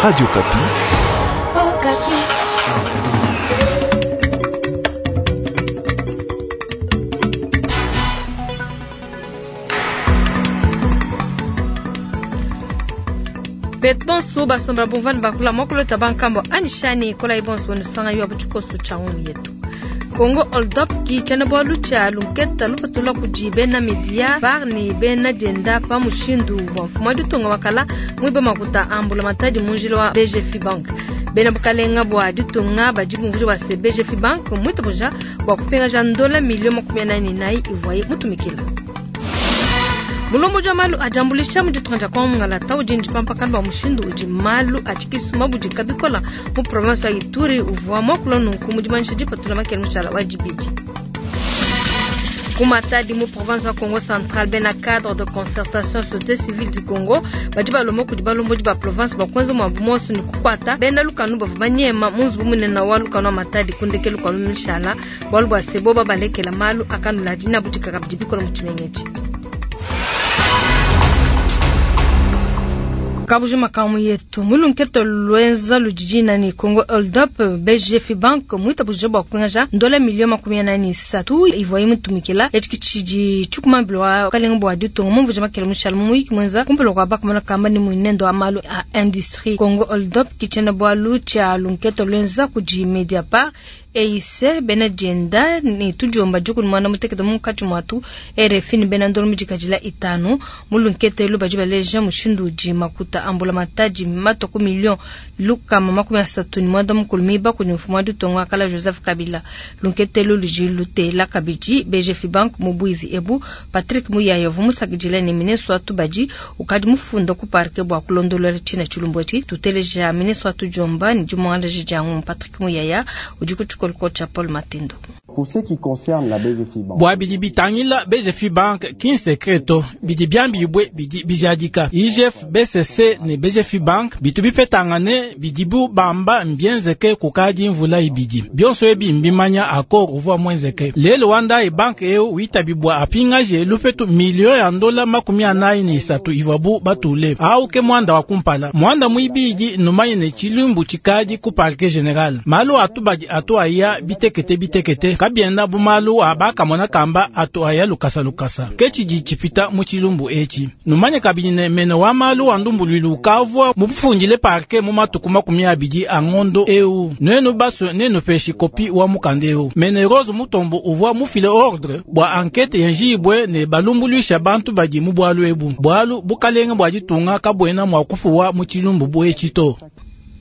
Radio Okapi. Oh, Betu bonso basomba bumva ne bakula muakulu bankambo anishani kolayi bonso nusanga yo butshikoso tshia ngumu yetu. Congo Hold Up ki tshiena-bualu tshia lunketa lupatula kudi bena media par ne bena dienda pa mushindu wa mfumu wa ditunga wa kala muibe makuta a mbulamatadi mu njila wa BGFI Bank. Bena bukalenga bua ditunga badi bumvuija bua se BGFI Bank muitabuja bua kupingaja ndola miliyo 44 ivuaye mutumikila. Mulombodi wa malu a diambuluisha mu ditunga dia Kongo Mungalata udi ndipampakana bua mushindu udi malu a tshikisu mabudika bikola mu province wa Ituri uvua muakula nunku mu dimanyisha dipatula makele mushala wa dibidi. Ku Matadi mu province wa Kongo Central bena cadre de concertation société civile du Congo badi balomba kudi balombodi ba province bua kuenza muabu muonso ne kukuata bena lukanu bavua banyema mu nzubu munene wa lukanu wa Matadi ku ndekelu kua mishala bualu bua se boba balekela malu akanula dina budika kabidi bikola mu tshimenga etshi. Kabuji makamu yetu mulunketo lwenza ludidina ni Congo Hold Up BGF Bank muitabuja bua kupingaja ndola miliyo 43 ivuaye mutumikila etshi tshidi tshikumambila wa kalenga bua ditunga mumvuja makele mushala mu muyiki mwenza kumpala kua bakamona kamba ni muinendo wa malu a industrie Congo Hold Up kitshena bualu tshia lunketo lwenza kudi Mediapart EIC bena dienda ni tudiomba dikulu mwana mutekete munkatshi muatu RFI ni bena ndolo mudikadila itanu mulunketelo badi baleja mushindu udi makuta ambula matadi mato ku million lukama 39 mukulu miba kudi mfumu wa ditunga wa kala Joseph Kabila. Lunketelo ludi lutela kabidi BGF Bank mu bwivi ebu Patrick Muyaya uvua musakidila ne ministre wa tubadi ukadi mufunda ku parquet bua kulondolola tshina tshilumbu etshi. Tuteleja ministre wa tudiomba ni dimuangalaji dia ngumu Patrick Muyaya udi ku tshikolo tshia Paul Matendo. Pour ce qui concerne la BGFI Bank, bua bidi bitangila BGFI Bank ki nsekreto bidi biambibwe bidi bijadika IGF BCC ne BGFI Bank bitu bipetangane bidibu bamba mbienzeke kukadi mvula ibidi bionso ebi mbimanya accord uvua mwenzeke lelo wandai bank eu witabibwa apingaje lupetu milio ya ndola 43 ivabu batule au ke mwanda wa kumpala mwanda mwibidi numanye ne chilumbu chikadi ku parquet general malu atubadi atu aya bitekete bitekete kabienda bumalu abakamona kamba atu aya lukasa lukasa kechidi chipita mu chilumbu echi numanye kabidi ne mene wa malu wa ndumbuluilu ukavua mufundile parquet mu matuku 20 a ngondo eu nwenu baso nenu peshi kopi wa mukanda eu mene Rose Mutombo uvua mufile ordre bua enquête yenjibwe ne balumbuluisha bantu badi mu bwalu ebu bwalu bukalenge bua ditunga kabwena mwa kufuwa mu chilumbu bwechi to.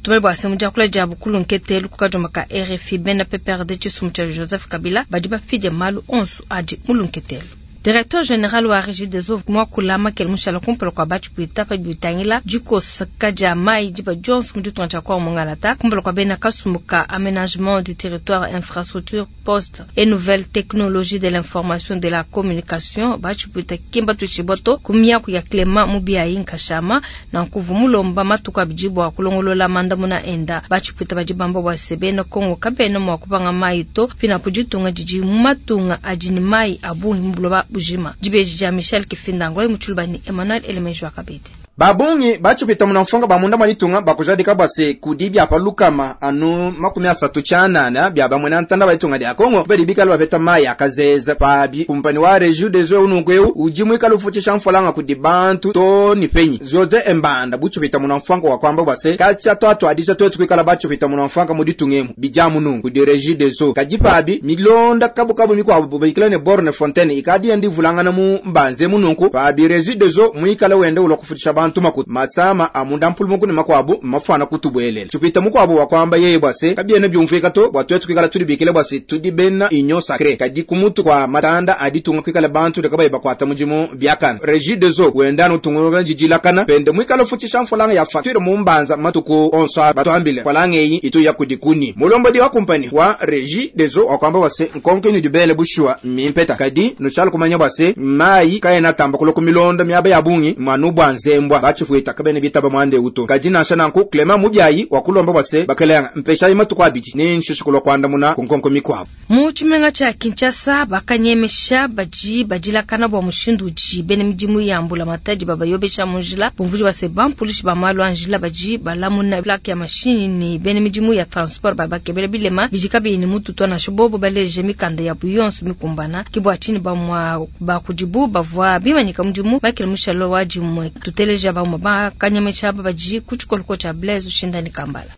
Tumele bua semu diakula dia bukulu nketelu kukadioma ka RFI bena PPRD tshisumu tshia Joseph Kabila badi bapidie malu onso adi mulunketelu. Directeur général wa Régie des eaux muakula makele mushala kumpala kua batshipwita pa bitangila dikosaka dia mayi diba dionso mu ditunga dia Kongo Mungalata kumpala kua bena kasumbu ka aménagement du territoire infrastructure poste et nouvelles technologies de l'information de la communication batshipwita kimba tutshiboto ku miaku ya Clément Mubiayi Nkashama na nkuvu mulomba matuku abidi bua kulongolola mandamuna enda batshipwita badi bamba bua se bena Kongo kabena mua kupanga mayi to pinapo ditunga didi mu matunga adi ne mayi a bungi mu buloba bujima. Dibeji dia Michel Kifindango mutshuluba ni Emmanuel Elemenjo akabidi. Babungi bachupita munamfonga bamunda mwalitunga bakujadika bwase kudi byapa lukama anu 38 bya bamwe na ntanda baitunga dia Kongo bali bikala bapeta mayi akazeza pabi kumpani wa Régie des eaux unungu uji mwikala ufuchisha mfolanga kudi bantu to ni penyi zoze embanda buchupita munamfonga wa kwamba bwase kacha twatu adisha twetu kwikala bachupita munamfonga muditungemu bijamu nungu kudi Régie des eaux kaji pabi milonda kabu kabu mikwa bikala ne borne fontaine ikadi endi vulangana mu mbanze munungu pabi Régie des eaux mwikala wende ulokufutisha bantu makutu masama amunda mpulumuku ne makwabu mafana kutubwelela chupita mukwabu wakwamba yeye bwase kabiene byumvika to bwatwetu kwikala tuli bikile bwase tudi bena inyo sacré kadi kumutu kwa matanda aditunga kwikala bantu lekabaye bakwata mujimu byakana Régie des eaux wendano tunguruka jijilakana pende mwikala futisha mfolanga ya facture mumbanza matuku onso batwambile falanga eyi itu ya kudikuni mulombodi wa kumpani wa Régie des eaux wakwamba bwase nkonke ni dibele bushwa mimpeta kadi nuchala kumanya bwase mayi kaena tamba kuloku milonda miaba ya bungi mwanu bwa nzembwa. ntambua batshifuita kabena bitaba muanda eu to. Kadi nansha nanku Clement Mubiayi wakulomba bua se bakalenga mpeshayi matuku abidi ne nshishe kulua kuandamuna ku nkonko mikuabu. Mu tshimenga tshia Kinshasa bakanyemesha badi badilakana bua mushindu udi bena midimu ya mbulamatadi babayobesha mu njila, bumvuija bua se bampulishi ba malu a njila badi balamuna plaque ya mashinyi ne bena midimu ya transport babakebela bilema bidi kabiyi ne mutu to, nansha bobo baleje mikanda yabu yonso mikumbana. Ke bua tshinyi bamue ba kudibu bavua bimanyika mudimu Michael Mushalo wa dimue. Tuteleja bamue bakanyemesha aba badi ku tshikoloko tshia Blaise Ushindani Kambala.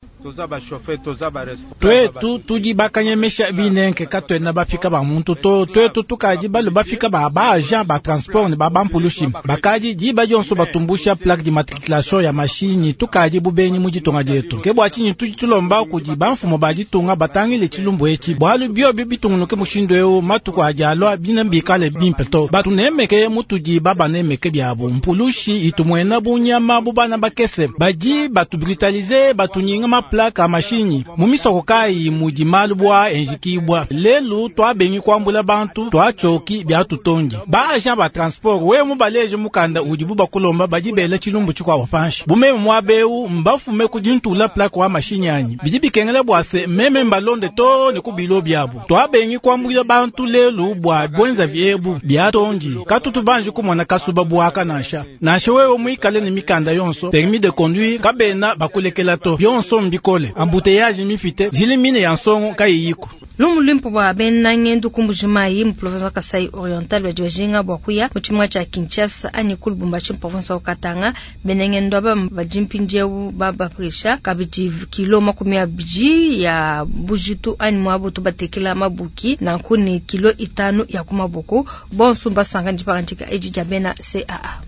Twetu tudi bakanyemesha binenke katuena bafika ba muntu to, twetu tukadi balu bafika ba ba agent ba transport ne ba bampulushi bakadi diba dionso batumbusha plaque d'immatriculation ya mashinyi tukadi bubenyi mu ditunga dietu. Ke bua tshinyi tudi tulomba kudi bamfumu ba ditunga batangile tshilumbu etshi, bualu biobi bitungunuke mushindu eu matuku adi alua bine bikale bimpe to. Batunemeke mutudi babanemeke biabu mpulushi itumuena bunyama bu bana bakese badi batubrutalize batunyinga maplaque a mashinyi mu misoko kayi mudi malu bua enjikibwa lelu twabengi kuambula bantu twachoki byatutondi ba agent ba transport we mubaleje mukanda udi bubakulomba badi bela tshilumbu tshikuabo panshi bumeme mwabeu mbafume kudintula plaque wa mashinyi anyi bidi bikengela bua se meme mbalonde to ne kubilo byabo twabengi kuambula bantu lelu bua bwenza vyebu byatondi katutu banji kumona kasuba buaka nansha nansha wewe muikale ne mikanda yonso permis de conduire kabena bakulekela to byonso mbikole embouteillage mifite jilimine ya nsongo kayiyiko. Lumu luimpe bua bena ngendu ku Mbuji-Mayi mu province wa Kasai Oriental badi bajinga bua kuya mu tshimenga tshia Kinshasa anyi ku Lubumbashi mu province wa Katanga. Bena ngendu aba badi mpindieu babapesha kabidi kilo 20 ya bujitu anyi muabu tubatekela mabuki nanku ne kilo 5 ya ku maboko. Bonso mbasanga dipangadika edi dia bena CAA.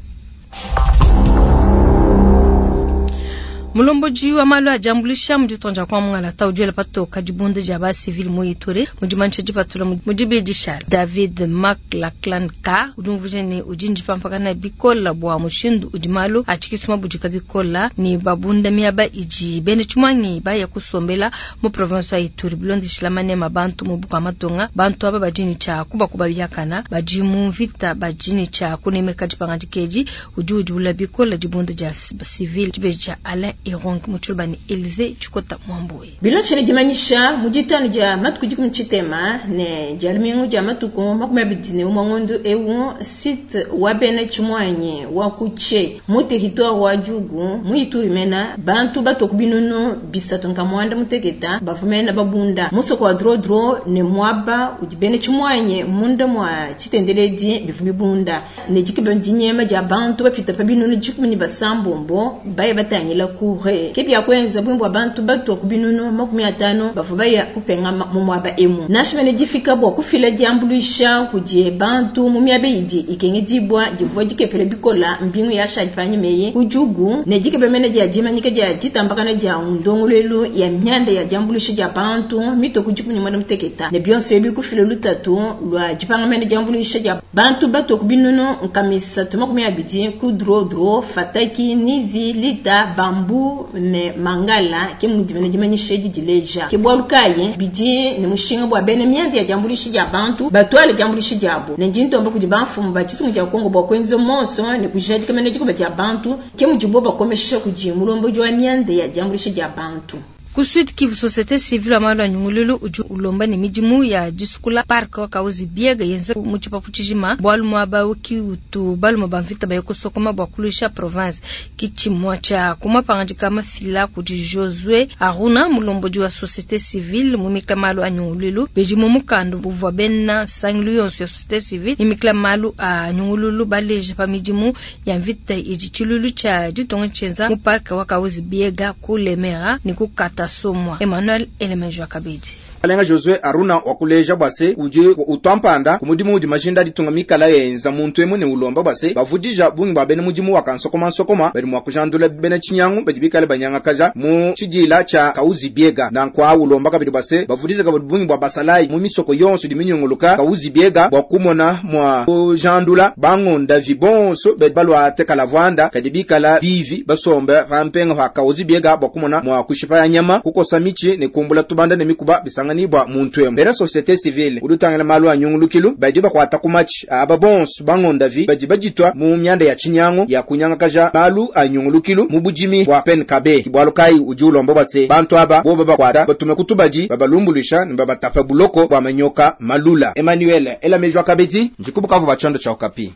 Mulomboji wa malu a diambuluisha mu ditunga dia kwa Mongala udi wela patoka dibunda dia ba civil mu Ituri mu dimanisha dipatula mu dibidisha David McLachlan Carr udi umvuija ne udi ndipampakana bikola bua mushindu udi malu a tshikisuma budika bikola ne babunda miaba idi bena tshimuangi baya kusombela mu province wa Ituri bilondeshila manema bantu mu bukua matunga bantu aba badi ne tshia kubakuba biakana badi mu mvita badi ne tshia kunemeka dipangadika edi udi udiula bikola dibunda dia civil dibeja Alain Erong Mutshulubani Elise Chikota Mwamboye. Bilonshele dimanyisha mu ditanu dia matuku dikumi tshitema ne dia lumingu dia matuku 21 ngondu eu site wa bena tshimuanyi wa kuche mu territoire wa Djugu mu Ituri mena bantu batoku binunu bisatu nkamwanda muteketa bavumena babunda musoko wa drodro ne mwaba udi bena tshimuanyi munda mwa tshitendeledi bivumi bunda ne dikiba dinyema dia bantu bapita pa binunu dikumi ne basambombo baye batangila kure kebya kwenza bwimbo abantu batu kubinunu 50 bavubaya kupenga mu mwaba emu nashimene difika bwa kufila diambuluisha kudie bantu mu miabe idi ikenge dibwa divwa dikepele bikola mbingu ya shajipanye meye kujugu ne dikebe mene dia dimanyika dia ditambakana dia ndongolelu ya myanda ya diambuluisha dia bantu mitoko dikumi mwana muteketa ne byonso ebi kufila lutatu lwa dipanga mene diambuluisha dia bantu batu kubinunu nkamisa 20 ku drodro fataki nizi lita bambu ne mangala ke mudimene dimanyisha didileja ke bwalu kaye bidi ne mushinga bwa bene myandi ya diambuluisha dia bantu batwale diambuluisha diabo ne ndintomba kudi bamfumu ba tshitungu dia Kongo bwa kwenza monso ne kujadika mene dikuba dia bantu ke mudibo bakomesha kudi mulombo wa myandi ya diambuluisha dia bantu. Ku Sud Kivu, société civile ya malu a nyungululu udi ulomba ne midimu ya disukula park wa Kahuzi Biega yenze mu tshipapu tshijima bualu muaba uki utu balume ba mvita baye kusokoma bua kuluisha province kitshimua tshia kumapangadika mafila kudi Josue Aruna mulombodi wa société civile mumika malu a nyungululu bedi mu mukanda buvua bena sangilu yonso ya société civile imikila malu a nyungululu baleje pa midimu ya mvita idi tshilulu tshia ditonga tshienza mu park wa Kahuzi Biega ku Lemera ne ku Kata Somwa. Emmanuel Elemenjo Kabedi. Alenga Josue Aruna wakuleja bwase udi utwampanda kumudimu udi majinda ditunga mikala yenza muntu emu ne ulomba bwase bavudija bungi bwa bene mudimu wa kansokoma nsokoma badi mwa kujandula bene tshinyangu badi bikale banyangakaja mu tshidila tsha Kahuzi Biega nankwa ulomba kabidi bwase bavudija kabidi bungi bwa basalayi mu misoko yonso di minyunguluka Kahuzi Biega bwa kumona mwa kujandula bangonda vibonso badi balwa tekala vwanda kadi bikala bivi basombe pampenga pa Kahuzi Biega bwa kumona mwa kushipa ya nyama kukosa michi ne kumbula tubanda ne mikuba bisanga basanganyibua muntu emu. Bena societe civile udi utangila malu a nyungulukilu badi bakuata ku matshi aba bonso bangondavi badi baditua mu mianda ya tshinyangu ya kunyangakaja malu a nyungulukilu mu budimi bua PNKB. Ke bualu kayi udi ulomba bua se, bantu aba bobu babakuata batume ku tubadi babalumbuluisha ne babatapa buloko bua manyoka malula. Emmanuel ela meji wa kabedi ndi ku Bukavu ba tshiondo tshia Okapi.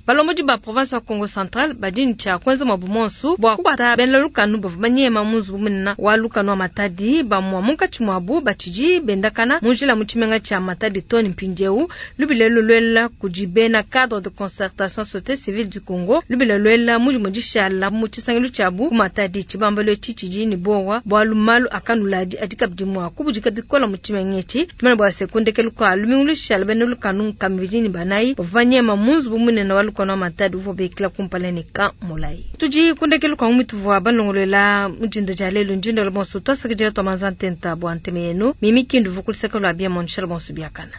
Balombodi ba province wa Kongo Central badi ne tshia kuenza muabu muonso bua kukuata bena lukanu bavua banyema mu nzubu munene wa lukanu wa Matadi. Bamue munkatshi muabu batshidi bendakana mu njila mu tshimenga tshia Matadi too ne mpindieu. Lubila elu luela kudi bena cadre de concertation societe civile du Congo. Lubila luela mu dimue dishala mu tshisangilu tshiabu ku Matadi. Tshibambalu etshi tshidi ne buowa bualu malu a kanuladi adi kabidi mua kubudika bikole mu tshimenga etshi. Tumanye bua se, ku ndekelu kua lumingu lushala, bena lukanu nkama ibidi ne banayi bavua banyema mu nzubu munene wa lukanu wa Matadi uvua ubikila kumpala ne, Camp Mulayi. Tudi ku ndekelu kua ngumu ituvua balongoluela mu dinda dia lelu. Ndi ndala bonso tuasakidila tua manza ntenta bua ntema yenu. Mimi Kindu uvua ku luseke lua Biamon. Shala bonso biakana.